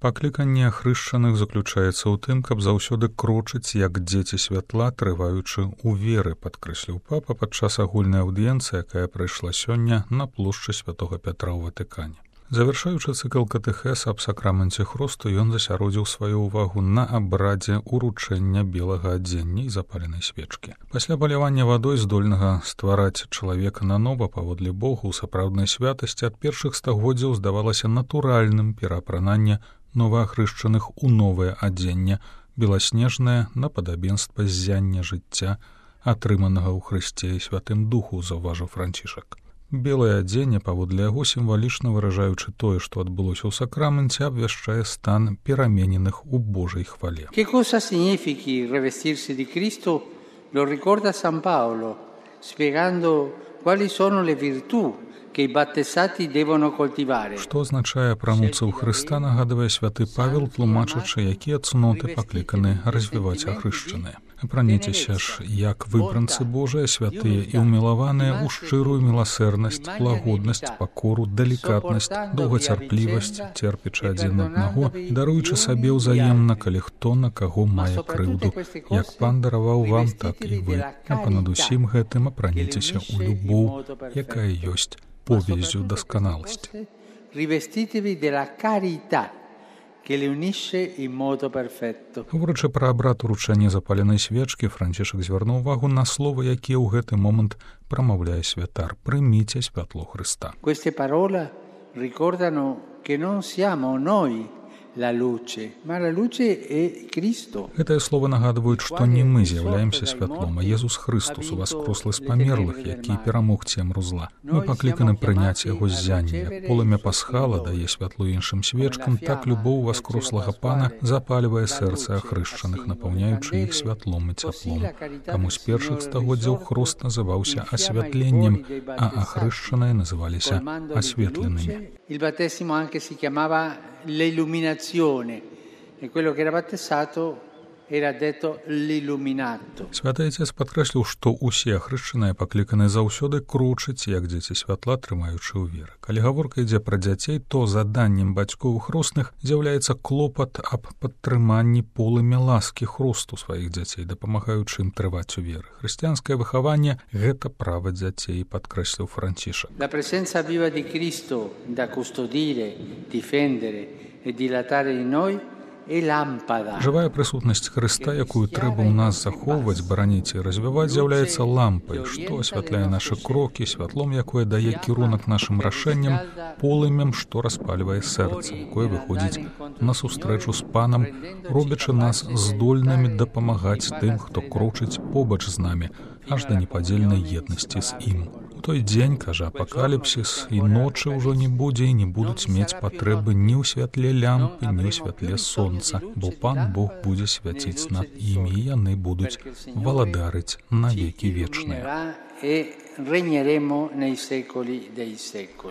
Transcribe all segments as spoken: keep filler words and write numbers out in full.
Пакліканне ахрышчаных заключаецца ў тым, каб заўсёды крочыць, як дзеці святла, трываючы ў веры, падкрэсліў папа падчас агульнай аўдыенцыі, якая прайшла сёння на плошчы святога Пятра ў Ватыкане. Завяршаючы цыкл катэхеса аб сакраменце хросту, ён засяродзіў сваю ўвагу на абрадзе уручэння белага адзення і запаленай свечкі. Пасля палявання вадой, здольнага ствараць чалавека нанова паводле Бога ў сапраўднай святасці, ад першых стагоддзяў здавалася натуральным пераапрананне новаахрышчаных у новае адзенне, беласнежнае на падабенства ззяння жыцця, атрыманага ў Хрысце і Святым Духу, заўважыў Францішак. Белае адзенне, паводле яго, сімвалічна выражаючы тое, што адбылося ў сакраменце, абвяшчае стан перамененых у Божай хвале. Che cosa significhi rivestirsi di Cristo lo ricorda San Paolo, spiegando quali sono le virtù che i battezzati devono coltivare. Што азначае апрануцца ў Хрыста, нагадвае святы Павел, тлумачачы, якія цноты пакліканы развіваць ахрышчаныя. Апраніцеся ж, як выбранцы Божыя, святыя і ўмілаваныя, у шчырую міласэрнасць, лагоднасць, пакору, далікатнасць, доўгацярплівасць, церпячы адзін аднаго, даруючы сабе ўзаемна, калі хто на каго мае крыўду. Як Пан дараваў вам, так і вы. А панад усім гэтым апраніцеся ў любоў, якая ёсць повязью дасканаласці. Rivestitevi della carità che le unisce in modo perfetto. Говорячы пра абрад уручэння запаленай свечкі, Францішак звярнуў увагу на словы, якія ў гэты момант прамаўляе святар: «Прыміце святло Хрыста». Queste parole ricordano che non siamo noi la luce, ma la luce è Cristo. Гэтыя словы нагадваюць, што не мы з'яўляемся святлом, а Езус Хрыстус, уваскрослы з памерлых, які перамог цемру зла. Мы пакліканы прыняць яго ззянне. Як полымя пасхала дае святло іншым свечкам, так любоў уваскрослага Пана запальвае сэрцы ахрышчаных, напаўняючы іх святлом і цяплом. Таму з першых стагоддзяў хрост называўся асвятленнем, а ахрышчаныя называліся асветленымі. Il battesimo anche si chiamava l'illuminazione e quello che era battezzato era detto l'illuminato. Святы Отец падкрэсліў, што ўсе ахрышчаныя пакліканы заўсёды крочыць, як дзеці святла, трымаючы ў веры. Калі гаворка ідзе пра дзяцей, то заданнем бацькоў хросных з'яўляецца клопат аб падтрыманні полымя ласкі хросту сваіх дзяцей, дапамагаючы ім трываць у веры. Хрысціянскае выхаванне — гэта права дзяцей, падкрэсліў Францішак. La presenza viva di Cristo da custodire, difendere e dilatare in noi è lampada. Жывая прысутнасць Хрыста, якую трэба ў нас захоўваць, бараніць і развіваць, з'яўляецца лампай, што асвятляе нашы крокі, святлом, якое дае кірунак нашым рашэнням, полымем, што распальвае сэрца, якое выходзіць на сустрэчу з Панам, робячы нас здольнымі дапамагаць тым, хто крочыць побач з намі, аж да непадзельнай еднасці з ім. У той дзень, кажа апакаліпсіс, і ночы ўжо не будзе, і не будуць мець патрэбы ні ў святле лямпы, ні ў святле сонца, бо Пан Бог будзе свяціць над імі, і яны будуць валадарыць на векі вечныя.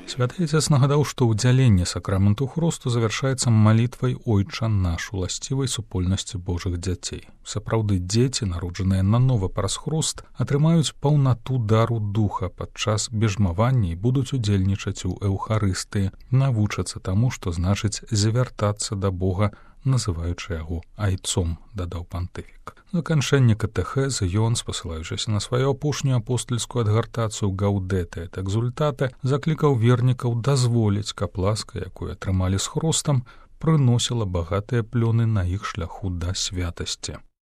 Святы Отец нагадаў, што ўдзяленне сакраменту хросту завяршаецца малітвай «Ойча наш» уласцівай супольнасці Божых дзяцей. Сапраўды, дзеці, народжаныя нанова праз хрост, атрымаюць паўнату дару духа падчас бежмавання і будуць удзельнічаць у эўхарыстыі, навучацца таму, што значыць завяртацца да Бога, называючы яго айцом, дадаў пантыфік. Заканчэнне катэхеза ён, спасылаючыся на сваю апошнюю апостальскую адгартацыю «Гаудэтэ эт экзультатэ», заклікаў вернікаў дазволіць, каб ласка, якую атрымалі з хростам, прыносіла багатыя плёны на іх шляху да святасці.